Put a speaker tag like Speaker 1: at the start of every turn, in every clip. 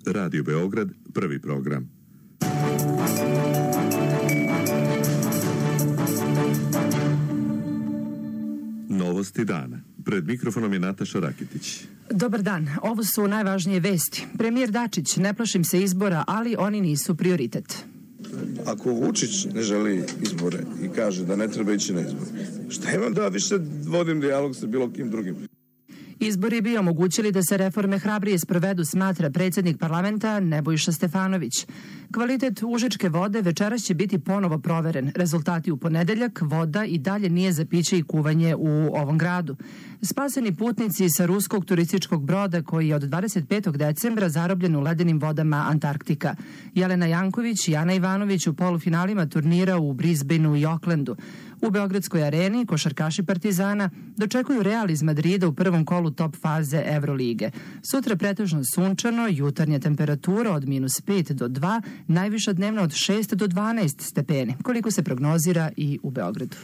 Speaker 1: Radio Beograd, prvi program. Novosti dana. Pred mikrofonom je Nataša Raketić.
Speaker 2: Dobar dan, ovo su najvažnije vesti. Premijer Dačić, ne plašim se izbora, ali oni nisu prioritet.
Speaker 3: Ako Vučić ne želi izbore i kaže da ne treba ići na izbore, šta imam da više vodim dijalog sa bilo kim drugim?
Speaker 2: Izbori bi omogućili da se reforme hrabrije sprovedu, smatra predsjednik parlamenta Nebojša Stefanović. Kvalitet užičke vode večeras će biti ponovo proveren. Rezultati u ponedeljak, voda i dalje nije za piće i kuvanje u ovom gradu. Spaseni putnici sa ruskog turističkog broda koji je od 25. decembra zarobljen u ledenim vodama Antarktika. Jelena Janković i Ana Ivanović u polufinalima turnira u Brisbaneu i Aucklandu. U Beogradskoj areni košarkaši Partizana dočekuju Real iz Madrida u prvom kolu top faze Evrolige. Sutra pretežno sunčano, jutarnja temperatura od -5 do 2, najviša dnevna od 6 do 12 stepeni, koliko se prognozira i u Beogradu.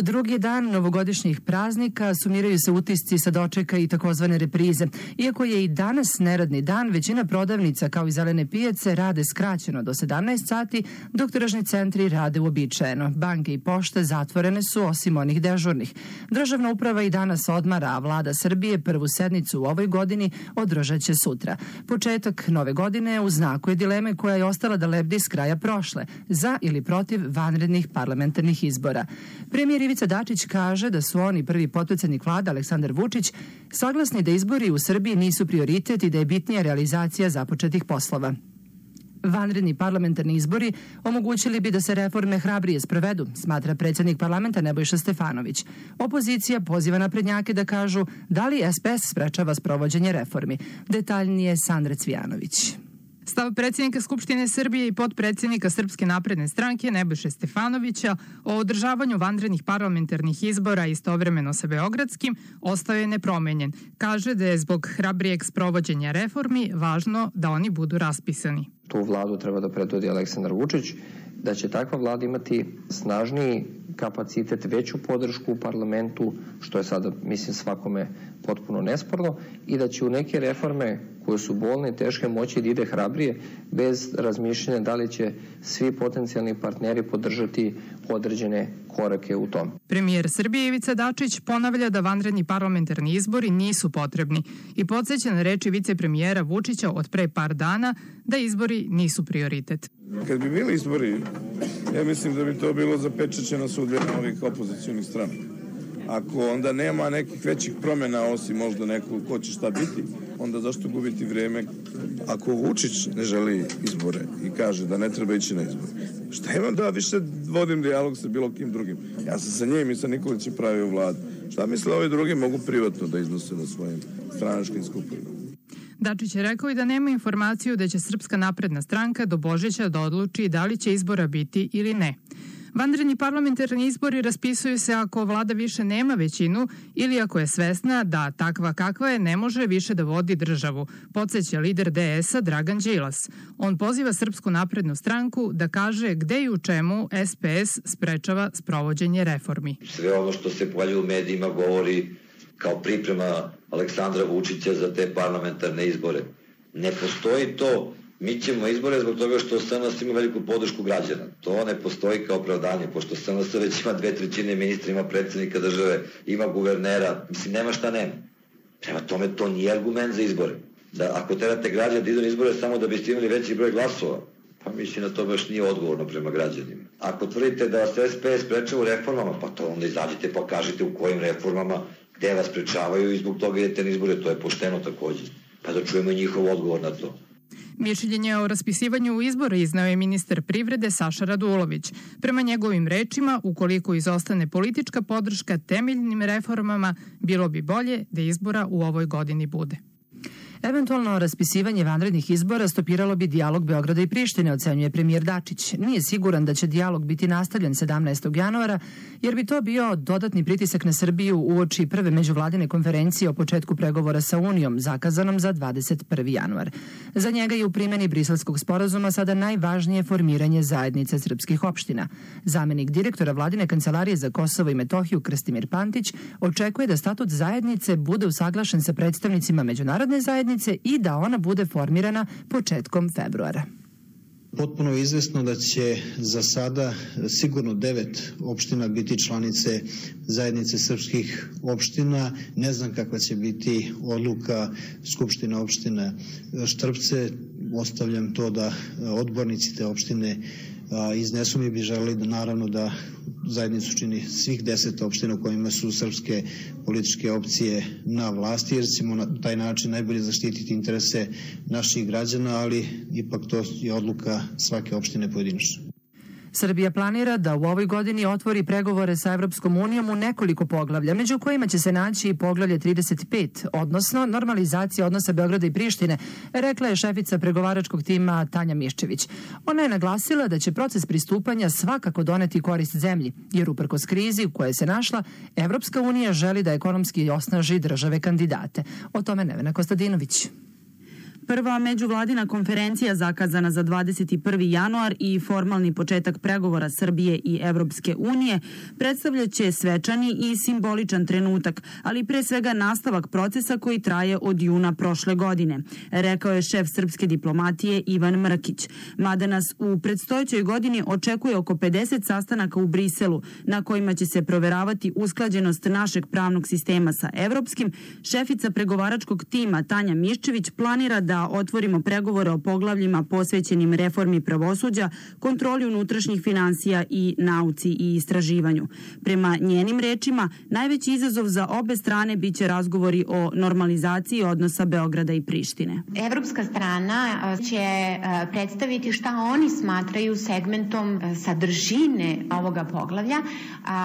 Speaker 2: Drugi dan novogodišnjih praznika sumiraju se utisci sa dočeka i takozvane reprize. Iako je i danas neradni dan, većina prodavnica kao i zelene pijace rade skraćeno do 17 sati, dok tržni centri rade uobičajeno. Banke i pošte zatvorene su osim onih dežurnih. Državna uprava i danas odmara, a vlada Srbije prvu sednicu u ovoj godini održat će sutra. Početak nove godine u znaku je dileme koja je ostala da lebdi s kraja prošle, za ili protiv vanrednih parlamentarnih izbora. Premijer Ivica Dačić kaže da su oni, prvi potpredsednik vlade Aleksandar Vučić, saglasni da izbori u Srbiji nisu prioritet i da je bitnija realizacija započetih poslova. Vanredni parlamentarni izbori omogućili bi da se reforme hrabrije sprovedu, smatra predsjednik parlamenta Nebojša Stefanović. Opozicija poziva naprednjake da kažu da li SPS sprečava sprovođenje reformi. Detaljnije Sandra Cvijanović.
Speaker 4: Stav predsjednika Skupštine Srbije i potpredsjednika Srpske napredne stranke Nebojše Stefanovića o održavanju vanrednih parlamentarnih izbora istovremeno sa beogradskim ostao je nepromenjen. Kaže da je zbog hrabrijeg sprovođenja reformi važno da oni budu raspisani.
Speaker 5: Tu vladu treba da predvodi Aleksandar Vučić, da će takva vlada imati snažniji kapacitet, veću podršku u parlamentu, što je sada, mislim, svakome potpuno nesporno, i da će u neke reforme koje su bolne i teške moći da ide hrabrije, bez razmišljanja da li će svi potencijalni partneri podržati određene korake u tom.
Speaker 4: Premijer Srbije Ivica Dačić ponavlja da vanredni parlamentarni izbori nisu potrebni i podsjeća na reči vicepremijera Vučića od pre par dana da izbori nisu prioritet.
Speaker 3: Kad bi bili izbori, ja mislim da bi to bilo zapečaćena sudbina ovih opozicionih strana. Ako onda nema nekih većih promjena, osim možda neko ko će šta biti, onda zašto gubiti vrijeme? Ako Vučić ne želi izbore i kaže da ne treba ići na izbore, šta imam da više vodim dijalog sa bilo kim drugim? Ja sam sa njim i sa Nikolićem pravio vladu. Šta misle ovi drugi mogu privatno da iznose na svojim stranačkim skupovima?
Speaker 4: Dačić je rekao i da nema informaciju da će Srpska napredna stranka do Božića da odluči da li će izbora biti ili ne. Vanredni parlamentarni izbori raspisuju se ako vlada više nema većinu ili ako je svesna da takva kakva je ne može više da vodi državu, podsjeća lider DS-a Dragan Đilas. On poziva Srpsku naprednu stranku da kaže gde i u čemu SPS sprečava sprovođenje reformi.
Speaker 6: Sve ono što se pojavljuje u medijima govori kao priprema Aleksandra Vučića za te parlamentarne izbore. Ne postoji to, mi ćemo izbore zbog toga što SNS ima veliku podršku građana. To ne postoji kao opravdanje, pošto SNS već ima 2/3 ministra, ima predsjednika države, ima guvernera, mislim nema šta nema. Prema tome to nije argument za izbore. Da ako terate građane da idu na izbore samo da biste imali veći broj glasova, pa mislim da to baš nije odgovorno prema građanima. Ako tvrdite da vas SPS sprečava u reformama, pa to onda izađite pa kažite u kojim reformama, gde vas sprečavaju i zbog toga idete na izbore, to je pošteno također. Pa da čujemo njihov odgovor na to.
Speaker 4: Mišljenje o raspisivanju izbora izneo je ministar privrede Saša Radulović. Prema njegovim rečima, ukoliko izostane politička podrška temeljnim reformama, bilo bi bolje da izbora u ovoj godini bude.
Speaker 2: Eventualno raspisivanje vanrednih izbora stopiralo bi dijalog Beograda i Prištine, ocenjuje premijer Dačić. Nije siguran da će dijalog biti nastavljen 17. januara, jer bi to bio dodatni pritisak na Srbiju uoči prve međuvladine konferencije o početku pregovora sa Unijom, zakazanom za 21. januar. Za njega je u primjeni Briselskog sporazuma sada najvažnije formiranje zajednice srpskih opština. Zamenik direktora Vladine kancelarije za Kosovo i Metohiju Krstimir Pantić očekuje da statut zajednice bude usaglašen sa predstavnicima međunarodne zajednice i da ona bude formirana početkom februara.
Speaker 7: Potpuno je izvesno da će za sada sigurno 9 opština biti članice zajednice srpskih opština. Ne znam kakva će biti odluka Skupštine opštine Štrpce. Ostavljam to da odbornici te opštine iznesu. Mi bi želeli da naravno da zajednicu čini svih 10 opština u kojima su srpske političke opcije na vlasti, jer ćemo na taj način najbolje zaštititi interese naših građana, ali ipak to je odluka svake opštine pojedinačno.
Speaker 2: Srbija planira da u ovoj godini otvori pregovore sa Evropskom unijom u nekoliko poglavlja, među kojima će se naći i poglavlje 35, odnosno normalizacija odnosa Beograda i Prištine, rekla je šefica pregovaračkog tima Tanja Miščević. Ona je naglasila da će proces pristupanja svakako doneti korist zemlji, jer uprkos krizi u kojoj se našla, Evropska unija želi da ekonomski osnaži države kandidate. O tome Nevena Kostadinović.
Speaker 8: Prva međuvladina konferencija zakazana za 21. januar i formalni početak pregovora Srbije i Evropske unije predstavljaće svečani i simboličan trenutak, ali pre svega nastavak procesa koji traje od juna prošle godine, rekao je šef srpske diplomatije Ivan Mrkić. Mada nas u predstojećoj godini očekuje oko 50 sastanaka u Briselu, na kojima će se proveravati usklađenost našeg pravnog sistema sa evropskim, šefica pregovaračkog tima Tanja Miščević planira da otvorimo pregovore o poglavljima posvećenim reformi pravosuđa, kontroli unutrašnjih finansija i nauci i istraživanju. Prema njenim rečima, najveći izazov za obe strane biće razgovori o normalizaciji odnosa Beograda i Prištine.
Speaker 9: Evropska strana će predstaviti šta oni smatraju segmentom sadržine ovoga poglavlja.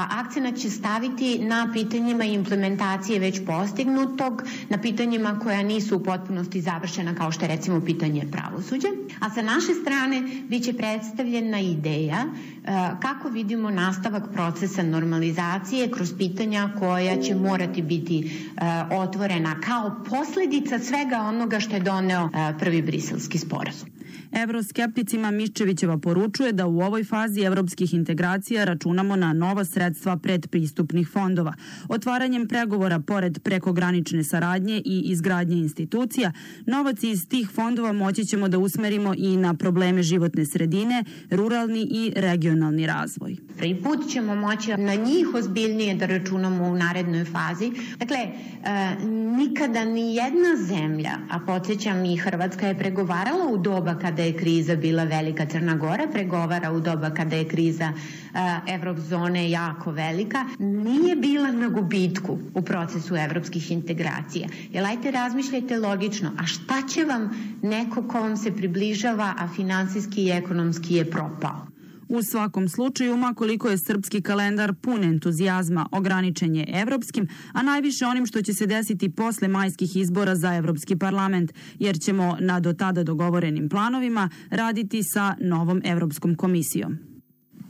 Speaker 9: Akcenat će staviti na pitanjima implementacije već postignutog, na pitanjima koja nisu u potpunosti završena, kao što je recimo pitanje pravosuđa, a sa naše strane biće predstavljena ideja kako vidimo nastavak procesa normalizacije kroz pitanja koja će morati biti otvorena kao posledica svega onoga što je doneo prvi Briselski sporazum.
Speaker 8: Evroskepticima Miščevićeva poručuje da u ovoj fazi evropskih integracija računamo na nova sredstva predpristupnih fondova. Otvaranjem pregovora pored prekogranične saradnje i izgradnje institucija, novac iz tih fondova moći ćemo da usmerimo i na probleme životne sredine, ruralni i regionalni razvoj.
Speaker 9: Prvi put ćemo moći na njih ozbiljnije da računamo u narednoj fazi. Dakle, nikada ni jedna zemlja, a podsjećam i Hrvatska je pregovarala u doba kada je kriza bila velika, Crna Gora pregovara u doba kada je kriza Evrozone jako velika, nije bila na gubitku u procesu evropskih integracija. Jer ajte razmišljajte logično, a šta će vam neko ko vam se približava, a finansijski i ekonomski je propao?
Speaker 8: U svakom slučaju, makoliko je srpski kalendar pun entuzijazma, ograničen je evropskim, a najviše onim što će se desiti posle majskih izbora za Evropski parlament, jer ćemo na do tada dogovorenim planovima raditi sa novom Evropskom komisijom.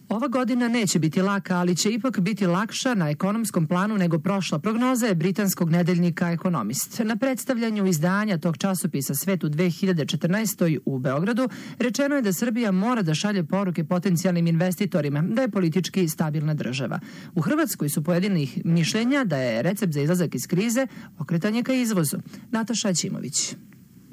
Speaker 2: Ova godina neće biti laka, ali će ipak biti lakša na ekonomskom planu nego prošla. Prognoza je britanskog nedeljnika Economist. Na predstavljanju izdanja tog časopisa Svet u 2014. u Beogradu rečeno je da Srbija mora da šalje poruke potencijalnim investitorima, da je politički stabilna država. U Hrvatskoj su pojedinih mišljenja da je recept za izlazak iz krize okretanje ka izvozu. Nataša Aćimović.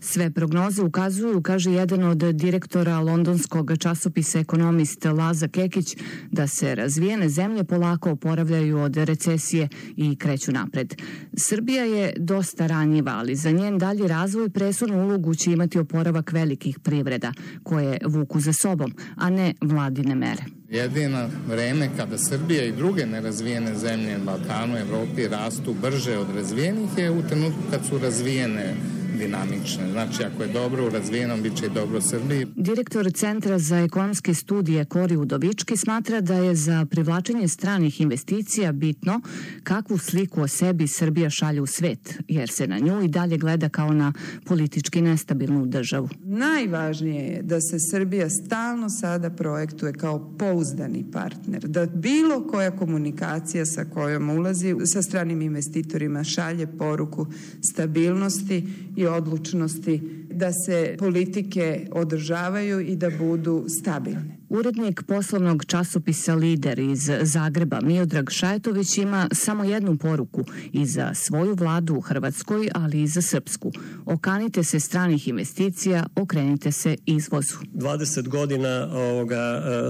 Speaker 10: Sve prognoze ukazuju, kaže jedan od direktora londonskog časopisa Economist Laza Kekić, da se razvijene zemlje polako oporavljaju od recesije i kreću napred. Srbija je dosta ranjiva, ali za njen dalji razvoj presudnu ulogu će imati oporavak velikih privreda, koje vuku za sobom, a ne vladine mere.
Speaker 11: Jedino vreme kada Srbija i druge nerazvijene zemlje na Balkanu, Evropi rastu brže od razvijenih je u trenutku kad su razvijene dinamične. Znači, ako je dobro u razvijenom, bit će i dobro u Srbiji.
Speaker 10: Direktor Centra za ekonomske studije Kori Udovički smatra da je za privlačenje stranih investicija bitno kakvu sliku o sebi Srbija šalje u svet, jer se na nju i dalje gleda kao na politički nestabilnu državu.
Speaker 12: Najvažnije je da se Srbija stalno sada projektuje kao pouzdani partner, da bilo koja komunikacija sa kojom ulazi sa stranim investitorima šalje poruku stabilnosti i odlučnosti, da se politike održavaju i da budu stabilne.
Speaker 10: Urednik poslovnog časopisa Lider iz Zagreba Miodrag Šajetović ima samo jednu poruku i za svoju vladu u Hrvatskoj, ali i za srpsku. Okanite se stranih investicija, okrenite se izvozu.
Speaker 13: 20 godina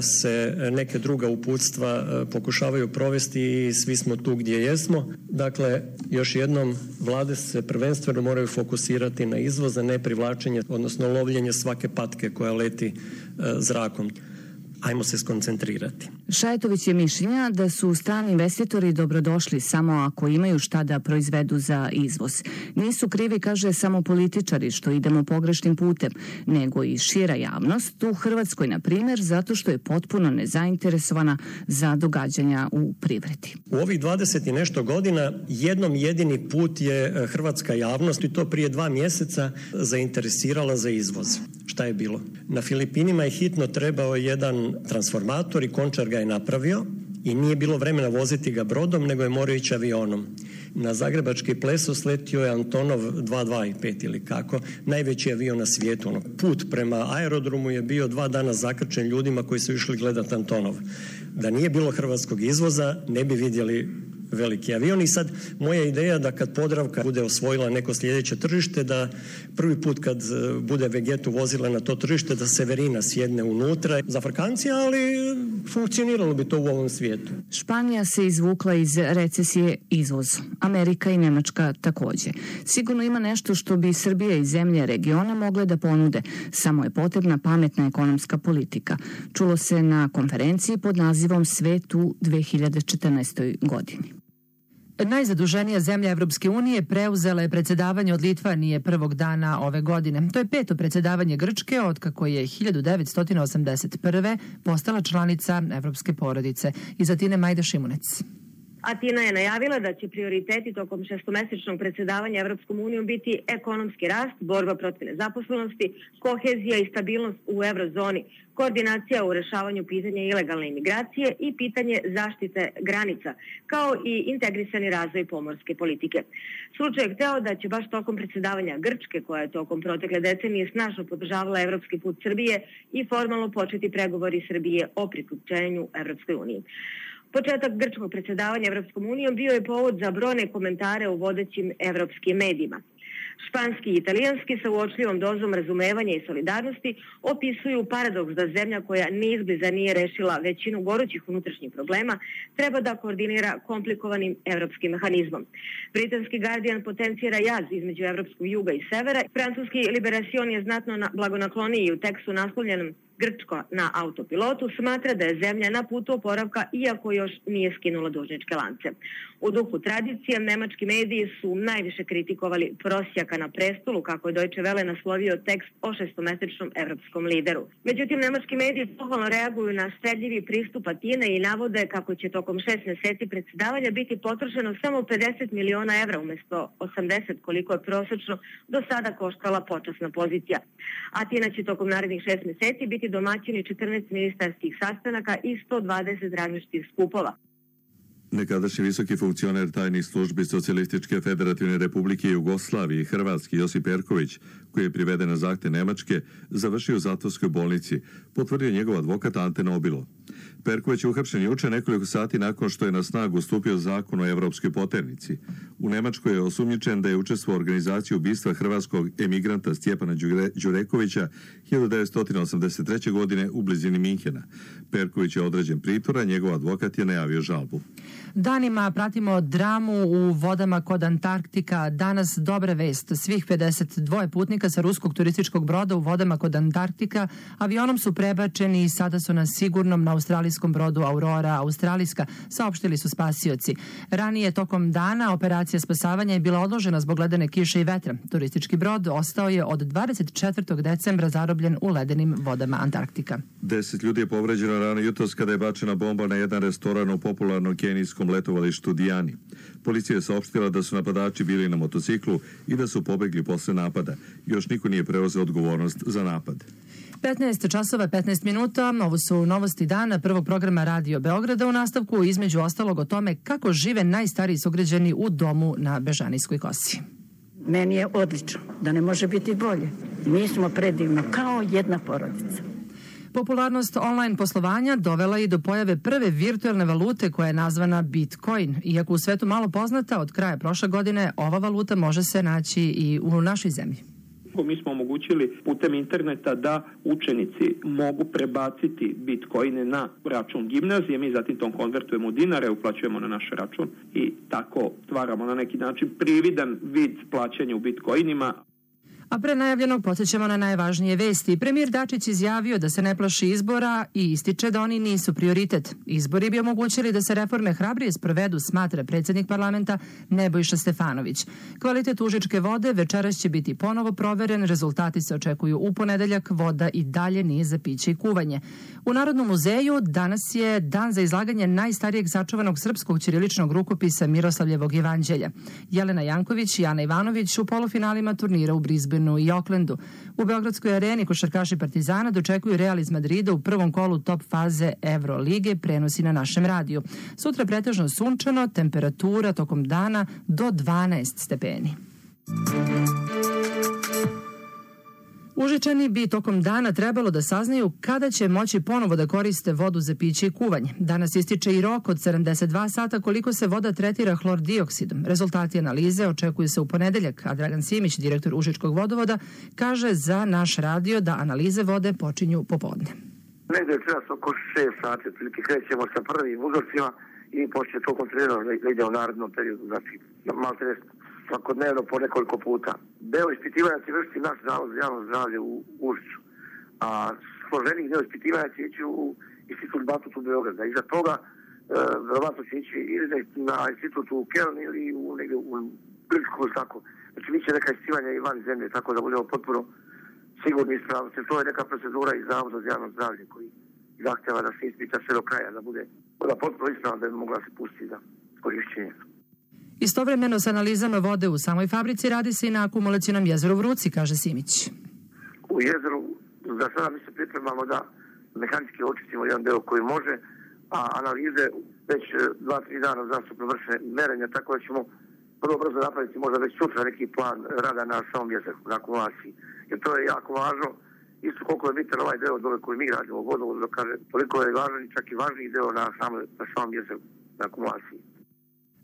Speaker 13: se neke druga uputstva pokušavaju provesti i svi smo tu gdje jesmo. Dakle, još jednom, vlade se prvenstveno moraju fokusirati na izvoz, a ne privlačenje, odnosno lovljenje svake patke koja leti zrakom. Ajmo se skoncentrirati.
Speaker 10: Šajetović je mišljenja da su strani investitori dobrodošli samo ako imaju šta da proizvedu za izvoz. Nisu krivi, kaže, samo političari što idemo pogrešnim putem, nego i šira javnost u Hrvatskoj, na primjer, zato što je potpuno nezainteresovana za događanja u privredi.
Speaker 13: U ovih 20 i nešto godina jednom jedini put je hrvatska javnost, i to prije 2 mjeseca, zainteresirala za izvoz. Šta je bilo? Na Filipinima je hitno trebao jedan transformator i Končar ga je napravio i nije bilo vremena voziti ga brodom, nego je morao ići avionom. Na zagrebački Pleso sletio je Antonov 225 ili kako, najveći avion na svijetu. Put prema aerodromu je bio 2 dana zakrčen ljudima koji su išli gledati Antonov. Da nije bilo hrvatskog izvoza, ne bi vidjeli veliki avion. I sad moja ideja da kad Podravka bude osvojila neko sljedeće tržište, da prvi put kad bude Vegetu vozila na to tržište, da Severina sjedne unutra. Za Frkancija, ali funkcioniralo bi to u ovom svijetu.
Speaker 10: Španija se izvukla iz recesije izvozom. Amerika i Nemačka također. Sigurno ima nešto što bi Srbija i zemlje regiona mogle da ponude. Samo je potrebna pametna ekonomska politika. Čulo se na konferenciji pod nazivom Svet u 2014. godini.
Speaker 2: Najzaduženija zemlja Evropske unije preuzela je predsjedavanje od Litvanije prvog dana ove godine. To je 5. predsjedavanje Grčke otkako je 1981. postala članica Evropske porodice. Iz Atine Majda Šimunec.
Speaker 14: Atina je najavila da će prioriteti tokom 6-mesečnog predsjedavanja Evropskom unijom biti ekonomski rast, borba protiv nezaposlenosti, kohezija i stabilnost u eurozoni, koordinacija u rešavanju pitanja ilegalne imigracije i pitanje zaštite granica, kao i integrisani razvoj pomorske politike. Slučaj je hteo da će baš tokom predsjedavanja Grčke, koja je tokom protekle decenije snažno podržavala evropski put Srbije, i formalno početi pregovori Srbije o priključenju Evropskoj uniji. Početak grčkog predsjedavanja Evropskom unijom bio je povod za brojne komentare u vodećim evropskim medijima. Španski i italijanski sa uočljivom dozom razumevanja i solidarnosti opisuju paradoks da zemlja koja ni izbliza nije rešila većinu gorućih unutrašnjih problema treba da koordinira komplikovanim evropskim mehanizmom. Britanski Guardian potencira jaz između evropskog juga i severa. Francuski Liberation je znatno blagonakloniji u tekstu naslovljenom Grčko na autopilotu smatra da je zemlja na putu oporavka iako još nije skinula dužničke lance. U duhu tradicije, nemački mediji su najviše kritikovali prosjaka na prestolu, kako je Deutsche Welle naslovio tekst o 6-mesečnom evropskom lideru. Međutim, nemački mediji pohvalno reaguju na štedljivi pristup Atine i navode kako će tokom 6 mjeseci predsjedavanja biti potrošeno samo 50 miliona evra umjesto 80 koliko je prosečno do sada koštala počasna pozicija. Atina će tokom narednih 6 mjeseci biti domaćini 14 ministarskih sastanaka i 120 različitih skupova.
Speaker 1: Nekadašnji visoki funkcioner tajnih službi Socijalističke federativne republike Jugoslavije i Hrvatski Josip Perković, koji je priveden na zahtjev Nemačke, završio u zatvorskoj bolnici, potvrdio njegov advokat Ante Nobilo. Perković je uhapšen juče nekoliko sati nakon što je na snagu stupio zakon o evropskoj poternici. U Nemačkoj je osumnjičen da je učestvovao u organizaciji ubistva hrvatskog emigranta Stjepana Đurekovića 1983. godine u blizini Minhena. Perković je određen pritvora, njegov advokat je najavio žalbu.
Speaker 2: Danima pratimo dramu u vodama kod Antarktika. Danas dobra vest. Svih 52 putnika sa ruskog turističkog broda u vodama kod Antarktika avionom su prebačeni i sada su na sigurnom na australijskom brodu Aurora Australijska, saopštili su spasioci. Ranije tokom dana operacija spasavanja je bila odložena zbog ledene kiše i vetra. Turistički brod ostao je od 24. decembra zarobljen u ledenim vodama Antarktika.
Speaker 1: 10 ljudi je povređeno rano jutros kada je bačena bomba na jedan restoran u popularnom kenijskom letovalištu Diani. Policija je saopštila da su napadači bili na motociklu i da su pobegli posle napada. Još niko nije preuzeo odgovornost za napad.
Speaker 2: 15 časova 15 minuta, ovo su novosti dana prvog programa Radio Beograda, u nastavku između ostalog o tome kako žive najstariji sugrađani u domu na Bežanijskoj kosi.
Speaker 15: Meni je odlično, da ne može biti bolje. Mi smo predivno, kao jedna porodica.
Speaker 2: Popularnost online poslovanja dovela i do pojave prve virtualne valute koja je nazvana Bitcoin. Iako u svetu malo poznata, od kraja prošle godine ova valuta može se naći i u našoj zemlji.
Speaker 16: Mi smo omogućili putem interneta da učenici mogu prebaciti bitcoine na račun gimnazije, mi zatim tom konvertujemo u dinare, uplaćujemo na naš račun i tako stvaramo na neki način prividan vid plaćanja u bitcoinima.
Speaker 2: A pre najavljenog podsjećamo na najvažnije vesti. Premijer Dačić izjavio da se ne plaši izbora i ističe da oni nisu prioritet. Izbori bi omogućili da se reforme hrabrije sprovedu, smatra predsjednik parlamenta Nebojša Stefanović. Kvalitet užičke vode večeras će biti ponovo proveren, rezultati se očekuju u ponedeljak, voda i dalje nije za piće i kuvanje. U Narodnom muzeju danas je dan za izlaganje najstarijeg sačuvanog srpskog ćiriličnog rukopisa Miroslavljevog jevanđelja. Jelena Janković i Ana Ivanović u polufinalima turnira u Brisbaneu i Oaklandu. U Beogradskoj areni košarkaši Partizana dočekuju Real iz Madrida u prvom kolu top faze Evrolige, prenosi na našem radiju. Sutra pretežno sunčano, temperatura tokom dana do 12 stepeni. Užičani bi tokom dana trebalo da saznaju kada će moći ponovo da koriste vodu za piće i kuvanje. Danas ističe i rok od 72 sata koliko se voda tretira hlordioksidom. Rezultati analize očekuju se u ponedeljak, a Dragan Simić, direktor Užičkog vodovoda, kaže za naš radio da analize vode počinju popodne.
Speaker 17: Negde je čas oko 6 sati, otprilike krećemo sa prvim uzorcima i počne to kontrolirano da ide u narednom periodu, znači malo svakodnevno po nekoliko puta. Deo ispitivanja će vršiti naš zavod za javno zdravlje u Užiču, a složenih deo ispitivanja će ići u institut Batut u Beograda. Iza toga verovatno će ići ili na institut u Keln ili negde u Grčku, tako. Znači bit će neka ispitivanja i van zemlje, tako da budemo potpuno sigurni i ispravnosti. To je neka procedura iz zavoda za javno zdravlje koji zahteva da se ispita sve do kraja, da bude potpuno ispravna da bi mogla se pustiti za korišćenje.
Speaker 2: Istovremeno sa analizama vode u samoj fabrici radi se i na akumulacionom jezeru Vruci, kaže Simić.
Speaker 17: U jezeru za sada mi se pripremamo da mehanički očistimo jedan deo koji može, a analize već 2-3 dana zastupno vrše merenja, tako da ćemo vrlo brzo napraviti možda već sutra neki plan rada na samom jezeru, na akumulaciji. Jer to je jako važno, isto koliko je bitan ovaj deo dole koji mi radimo u vodovodu, da kaže toliko je važan i čak i važniji deo na samom jezeru, na akumulaciji.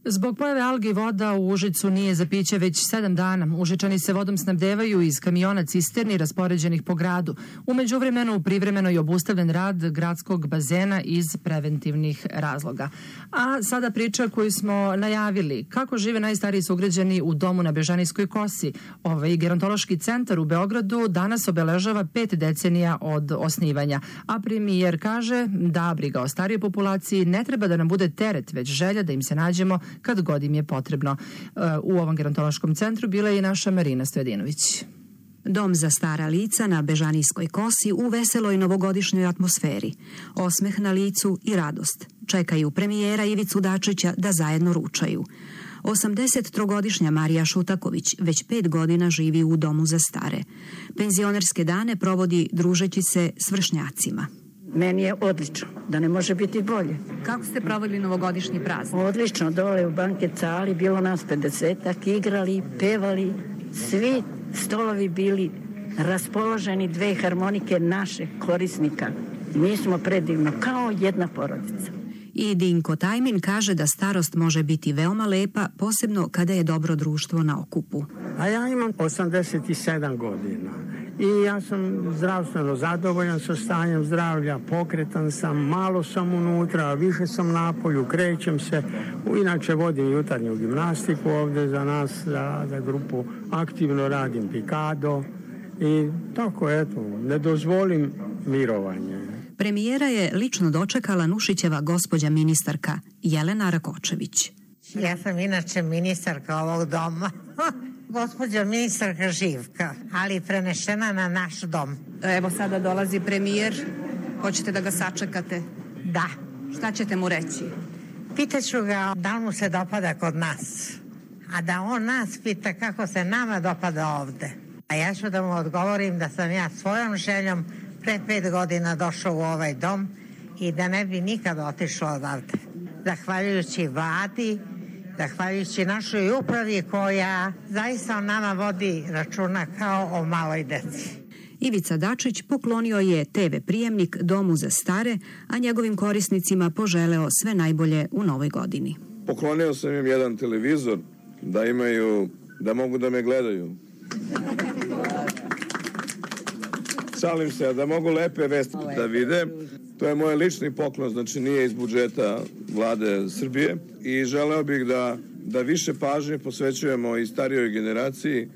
Speaker 2: Zbog pojave algi voda u Užicu nije za piće već 7 dana. Užičani se vodom snabdevaju iz kamiona cisterni raspoređenih po gradu. U međuvremenu privremeno je obustavljen rad gradskog bazena iz preventivnih razloga. A sada priča koju smo najavili. Kako žive najstariji sugrađani u domu na Bežanijskoj kosi? Ovaj gerontološki centar u Beogradu danas obeležava 5 decenija od osnivanja. A premijer kaže da briga o starijoj populaciji ne treba da nam bude teret, već želja da im se nađemo kad god im je potrebno. U ovom gerontološkom centru bila je i naša Marina Stojadinović.
Speaker 18: Dom za stara lica na Bežanijskoj kosi u veseloj novogodišnjoj atmosferi. Osmeh na licu i radost. Čekaju premijera Ivicu Dačića da zajedno ručaju. 83-godišnja Marija Šutaković već 5 godina živi u domu za stare. Penzionerske dane provodi družeći se s vršnjacima.
Speaker 15: Meni je odlično, da ne može biti bolje.
Speaker 18: Kako ste proveli novogodišnji praznik?
Speaker 15: Odlično, dole u banket sali, bilo nas 50-ak, igrali, pevali, svi stolovi bili raspoloženi, 2 harmonike naših korisnika. Mi smo predivno, kao jedna porodica.
Speaker 18: I Dinko Tajmin kaže da starost može biti veoma lepa, posebno kada je dobro društvo na okupu.
Speaker 19: A ja imam 87 godina i ja sam zdravstveno zadovoljan sa stanjem zdravlja, pokretan sam, malo sam unutra, više sam napolju, krećem se. Inače vodim jutarnju gimnastiku ovde za nas, za grupu, aktivno radim pikado i tako, eto, ne dozvolim mirovanje.
Speaker 18: Premijera je lično dočekala Nušićeva gospođa ministarka Jelena Rakočević.
Speaker 20: Ja sam inače ministarka ovog doma, gospođa ministarka Živka, ali prenešena na naš dom.
Speaker 21: Evo sada dolazi premijer, hoćete da ga sačekate?
Speaker 20: Da.
Speaker 21: Šta ćete mu reći?
Speaker 20: Pitaću ga da mu se dopada kod nas, a da on nas pita kako se nama dopada ovde. A ja ću da mu odgovorim da sam ja svojom željom pre 5 godina došao u ovaj dom i da ne bi nikad otišao odavde. Zahvaljujući vladi, zahvaljujući našoj upravi koja zaista o nama vodi računa kao o maloj deci.
Speaker 18: Ivica Dačić poklonio je TV prijemnik Domu za stare, a njegovim korisnicima poželeo sve najbolje u novoj godini.
Speaker 3: Poklonio sam im jedan televizor da imaju, da mogu da me gledaju. Šalim se, da mogu lepe vesti da vide. To je moj lični poklon, znači nije iz budžeta Vlade Srbije i želeo bih da više pažnje posvećujemo i starijoj generaciji.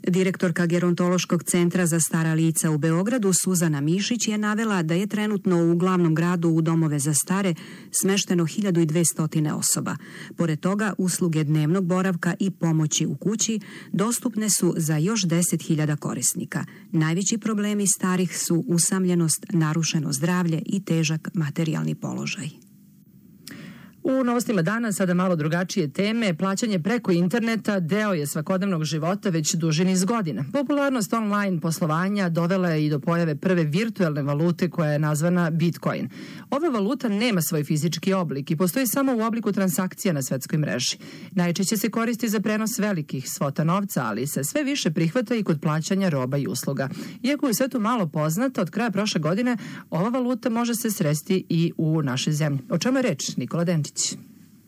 Speaker 18: Direktorka Gerontološkog centra za stara lica u Beogradu Suzana Mišić je navela da je trenutno u glavnom gradu u domove za stare smešteno 1200 osoba. Pored toga, usluge dnevnog boravka i pomoći u kući dostupne su za još 10.000 korisnika. Najveći problemi starih su usamljenost, narušeno zdravlje i težak materijalni položaj.
Speaker 2: U novostima dana sada malo drugačije teme. Plaćanje preko interneta deo je svakodnevnog života već duži niz godina. Popularnost online poslovanja dovela je i do pojave prve virtuelne valute koja je nazvana Bitcoin. Ova valuta nema svoj fizički oblik i postoji samo u obliku transakcija na svetskoj mreži. Najčešće se koristi za prenos velikih svota novca, ali se sve više prihvata i kod plaćanja roba i usluga. Iako je sve to malo poznato, od kraja prošle godine ova valuta može se sresti i u našoj zemlji. O čemu je reč? Nikola Denčić.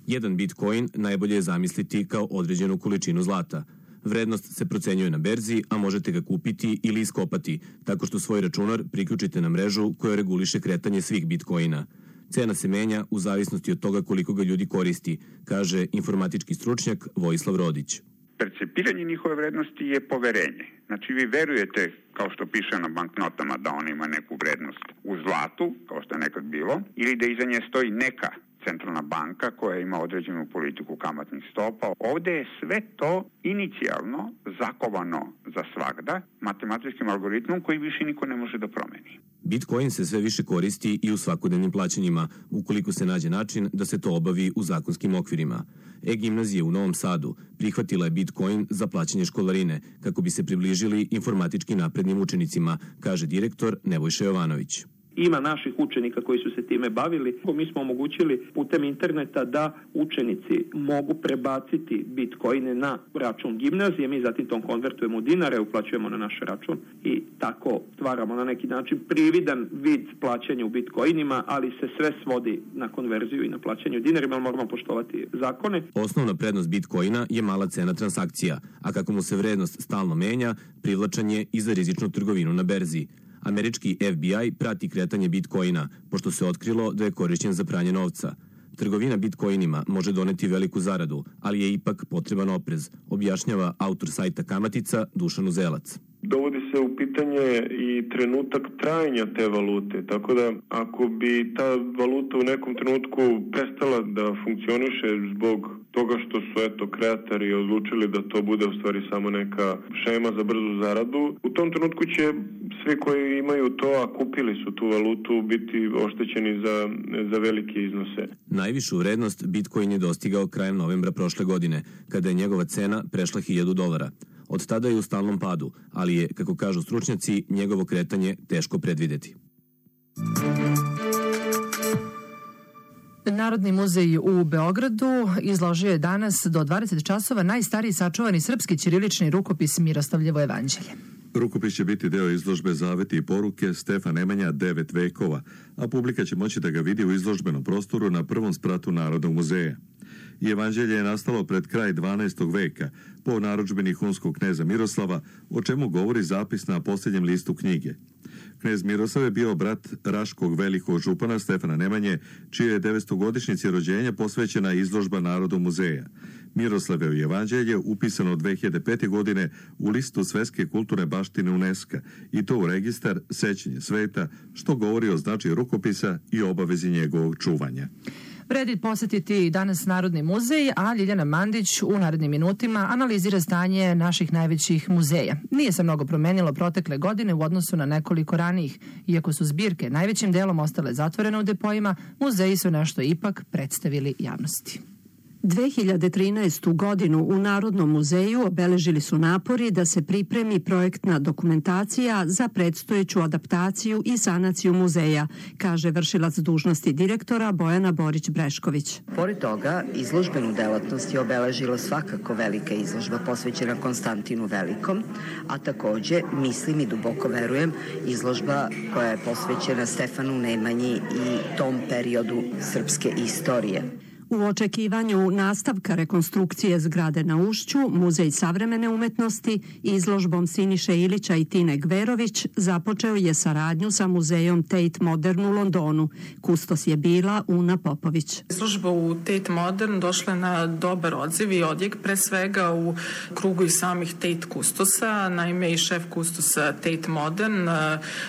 Speaker 22: Jedan bitcoin najbolje je zamisliti kao određenu količinu zlata. Vrednost se procenjuje na berzi, a možete ga kupiti ili iskopati, tako što svoj računar priključite na mrežu koja reguliše kretanje svih bitcoina. Cena se menja u zavisnosti od toga koliko ga ljudi koristi, kaže informatički stručnjak Vojislav Rodić.
Speaker 23: Percepiranje njihove vrednosti je poverenje. Znači vi verujete, kao što piše na banknotama, da on ima neku vrednost u zlatu, kao što je nekad bilo, ili da iza nje stoji neka centralna banka koja ima određenu politiku kamatnih stopa. Ovde je sve to inicijalno zakovano za svagda matematičkim algoritmom koji više niko ne može da promeni.
Speaker 22: Bitcoin se sve više koristi i u svakodnevnim plaćanjima, ukoliko se nađe način da se to obavi u zakonskim okvirima. E-gimnazija u Novom Sadu prihvatila je Bitcoin za plaćanje školarine kako bi se približili informatički naprednim učenicima, kaže direktor Nebojša Jovanović.
Speaker 16: Ima naših učenika koji su se time bavili. Mi smo omogućili putem interneta da učenici mogu prebaciti bitcoine na račun gimnazije. Mi zatim to konvertujemo u dinare, uplaćujemo na naš račun i tako stvaramo na neki način prividan vid plaćanja u bitcoinima, ali se sve svodi na konverziju i na plaćanje u dinarima, ali moramo poštovati zakone.
Speaker 22: Osnovna prednost bitcoina je mala cena transakcija, a kako mu se vrednost stalno menja, privlačan je i za rizičnu trgovinu na berzi. Američki FBI prati kretanje bitcoina, pošto se otkrilo da je korišćen za pranje novca. Trgovina bitcoinima može doneti veliku zaradu, ali je ipak potreban oprez, objašnjava autor sajta Kamatica Dušan Uzelac.
Speaker 24: Dovodi se u pitanje i trenutak trajanja te valute, tako da ako bi ta valuta u nekom trenutku prestala da funkcioniše zbog toga što su kreatori odlučili da to bude u stvari samo neka šema za brzu zaradu, u tom trenutku će svi koji imaju to, a kupili su tu valutu, biti oštećeni za velike iznose.
Speaker 22: Najvišu vrednost Bitcoin je dostigao krajem novembra prošle godine, kada je njegova cena prešla $1.000. Od tada je u stalnom padu, ali je, kako kažu stručnjaci, njegovo kretanje teško predvideti.
Speaker 2: Narodni muzej u Beogradu izložio je danas do 20 časova najstariji sačuvani srpski ćirilični rukopis Miroslavljevo jevanđelje.
Speaker 1: Rukopis će biti deo izložbe Zaveti i poruke Stefan Nemanja 9 vekova, a publika će moći da ga vidi u izložbenom prostoru na prvom spratu Narodnog muzeja. I evanđelje je nastalo pred kraj 12. veka po narudžbini hunskog kneza Miroslava, o čemu govori zapis na posljednjem listu knjige. Knez Miroslav je bio brat Raškog velikog župana Stefana Nemanje, čije je 900-godišnjici rođenja posvećena izložba Narodnog muzeja. Miroslavevo evanđelje upisano 2005. godine u listu Svetske kulturne baštine UNESCO i to u registar Sećanje sveta, što govori o značaju rukopisa i obavezi njegovog čuvanja.
Speaker 2: Vredi posetiti danas Narodni muzej, a Ljiljana Mandić u narednim minutima analizira stanje naših najvećih muzeja. Nije se mnogo promenilo protekle godine u odnosu na nekoliko ranijih. Iako su zbirke najvećim delom ostale zatvorene u depojima, muzeji su nešto ipak predstavili javnosti.
Speaker 18: 2013. godinu u Narodnom muzeju obeležili su napori da se pripremi projektna dokumentacija za predstojeću adaptaciju i sanaciju muzeja, kaže vršilac dužnosti direktora Bojana Borić-Brešković.
Speaker 4: Pored toga, izložbenu delatnost je obeležila svakako velika izložba posvećena Konstantinu Velikom, a takođe, mislim i duboko verujem, izložba koja je posvećena Stefanu Nemanji i tom periodu srpske istorije.
Speaker 18: U očekivanju nastavka rekonstrukcije zgrade na Ušću, Muzej savremene umetnosti izložbom Siniše Ilića i Tine Gverović započeo je saradnju sa muzejom Tate Modern u Londonu. Kustos je bila Una Popović.
Speaker 5: Izložba u Tate Modern došla na dobar odziv i odjek, pre svega u krugu i samih Tate kustosa. Naime, i šef kustosa Tate Modern,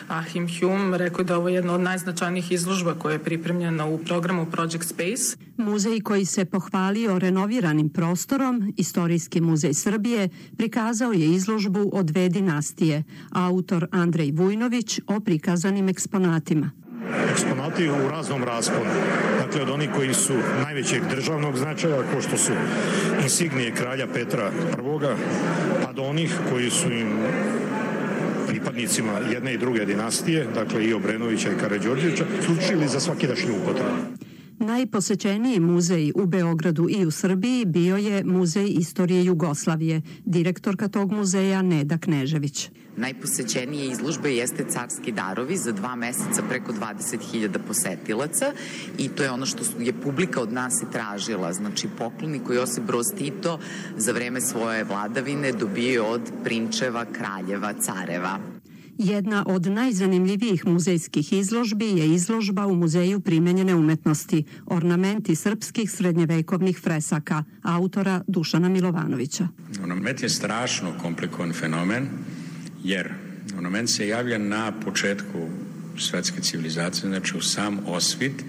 Speaker 5: Achim Hume, rekao da ovo je jedna od najznačajnijih izložba koja je pripremljena u programu Project Space.
Speaker 18: Muzej koji se pohvalio renoviranim prostorom, Istorijski muzej Srbije, prikazao je izložbu o dve dinastije, autor Andrej Vujnović o prikazanim eksponatima.
Speaker 6: Eksponati u raznom rasponu. Dakle, od onih koji su najvećeg državnog značaja, kao što su insignije kralja Petra I, pa do onih koji su im pripadnicima jedne i druge dinastije, dakle i Obrenovića i Karađorđevića, slučili za svakidašnju upotrebu.
Speaker 18: Najposećeniji muzej u Beogradu i u Srbiji bio je Muzej istorije Jugoslavije, direktorka tog muzeja Neda Knežević.
Speaker 7: Najposećenije izložbe jeste Carski darovi, za 2 meseca preko 20.000 posetilaca i to je ono što je publika od nas i tražila. Znači, pokloni koji Josip Broz Tito za vreme svoje vladavine dobio od prinčeva, kraljeva, careva.
Speaker 18: Jedna od najzanimljivijih muzejskih izložbi je izložba u Muzeju primenjene umetnosti, ornamenti srpskih srednjevekovnih fresaka, autora Dušana Milovanovića.
Speaker 25: Ornament je strašno komplikovan fenomen, jer ornament se javlja na početku svetske civilizacije, znači u sam osvit,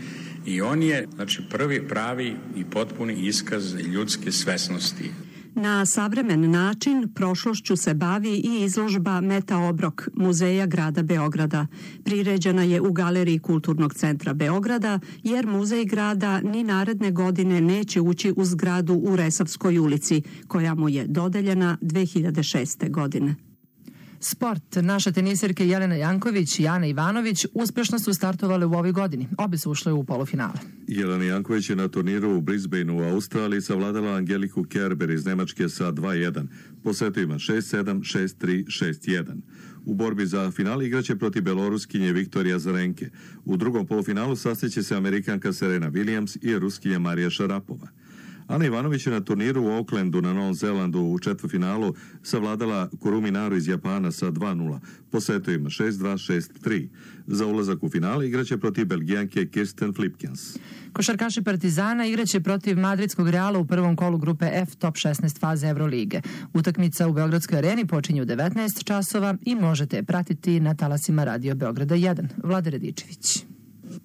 Speaker 25: i on je prvi pravi i potpuni iskaz ljudske svesnosti.
Speaker 18: Na savremen način prošlošću se bavi i izložba Meta Obrok Muzeja grada Beograda. Priređena je u Galeriji Kulturnog centra Beograda, jer Muzej grada ni naredne godine neće ući u zgradu u Resavskoj ulici, koja mu je dodeljena 2006. godine.
Speaker 2: Sport. Naše tenisirke Jelena Janković i Ana Ivanović uspešno su startovale u ovoj godini. Obe su ušle u polufinale.
Speaker 1: Jelena Janković je na turniru u Brisbaneu u Australiji savladala Angeliku Kerber iz Nemačke sa 2-1. Po setovima 6-7, 6-3, 6-1. U borbi za final igraće protiv Beloruskinje Viktorija Zarenke. U drugom polufinalu sastaće se Amerikanka Serena Williams i Ruskinja Marija Šarapova. Ana Ivanović je na turniru u Aucklandu na Novom Zelandu u četvrtfinalu savladala Kurumi Naru iz Japana sa 2-0, po setovima 6-2, 6-3. Za ulazak u finale igraće protiv Belgijanke Kirsten Flipkens.
Speaker 2: Košarkaši Partizana igraće protiv Madridskog Reala u prvom kolu grupe F top 16 faze Evrolige. Utakmica u Beogradskoj areni počinje u 19 časova i možete je pratiti na talasima Radio Beograda 1. Vlade Radičević.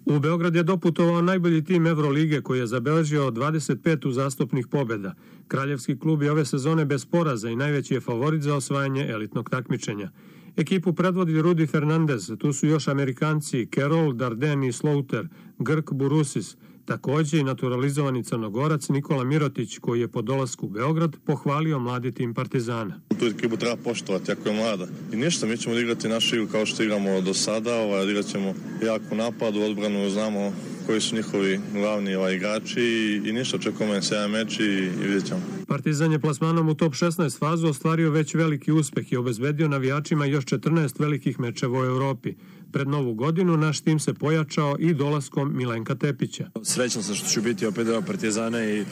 Speaker 26: U Beograd je doputovao najbolji tim Evrolige koji je zabeležio 25 uzastopnih pobjeda. Kraljevski klub je ove sezone bez poraza i najveći je favorit za osvajanje elitnog takmičenja. Ekipu predvodi Rudy Fernandez, tu su još Amerikanci Carroll, Darden i Slaughter, Grk Burusis, također i naturalizovani Crnogorac Nikola Mirotić, koji je po dolasku u Beograd pohvalio mladi tim Partizana.
Speaker 27: Tu ekipu treba poštovati, jako je mlada. I ništa, mi ćemo igrati našu igru kao što igramo do sada, odigrat ćemo jako napad, u odbranu znamo koji su njihovi glavni igrači i ništa, očekujemo se jedan meč i vidjet ćemo.
Speaker 26: Partizan je plasmanom u top 16 fazu ostvario već veliki uspeh i obezbedio navijačima još 14 velikih mečeva u Evropi. Pred novu godinu naš tim se pojačao i dolaskom Milenka Tepića.
Speaker 8: Srećan sam što ću biti opet deo Partizana i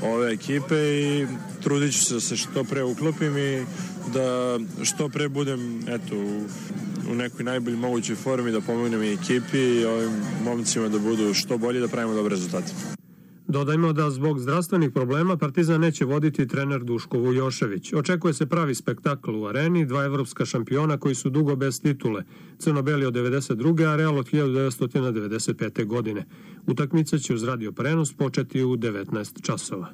Speaker 8: ove ekipe i trudit ću se da se što pre uklopim i da što pre budem u nekoj najbolji mogućoj formi, da pomognem i ekipi i ovim momcima da budu što bolji, da pravimo dobre rezultate.
Speaker 26: Dodajmo da zbog zdravstvenih problema Partizan neće voditi trener Duško Vujošević. Očekuje se pravi spektakl u areni, dva evropska šampiona koji su dugo bez titule, Crno-beli od 92. a Real od 1995. godine. Utakmica će uz radio prenos početi u 19 časova.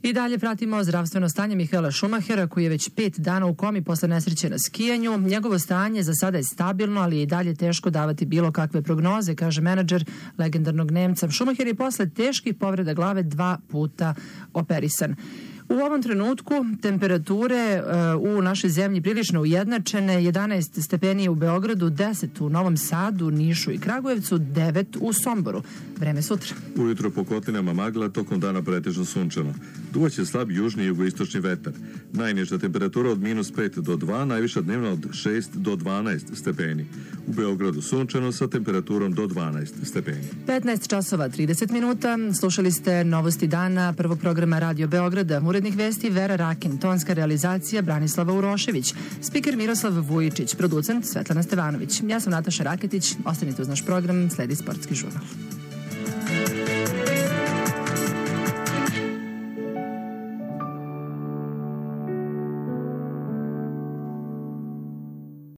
Speaker 2: I dalje pratimo zdravstveno stanje Mihaela Šumahera, koji je već 5 dana u komi posle nesreće na skijanju. Njegovo stanje za sada je stabilno, ali je i dalje teško davati bilo kakve prognoze, kaže menadžer legendarnog Nemca. Šumaher je posle teških povreda glave 2 puta operisan. U ovom trenutku temperature u našoj zemlji prilično ujednačene, 11 stepeni u Beogradu, 10 u Novom Sadu, Nišu i Kragujevcu, 9 u Somboru. Vreme sutra.
Speaker 1: Ujutro po kotlinama magla, tokom dana pretežno sunčano. Duvaće slab južni i jugoistočni vetar. Najniža temperatura od -5 do 2, najviša dnevna od 6 do 12 stepeni. U Beogradu sunčano sa temperaturom do 12 stepeni.
Speaker 2: 15 časova 30 minuta. Slušali ste novosti dana prvog programa Radio Beograda. Urednik vesti Vera Rakin, tonska realizacija Branislava Urošević, spiker Miroslav Vujičić, producent Svetlana Stevanović. Ja sam Nataša Raketić. Ostanite uz naš program, sledi sportski žurnal.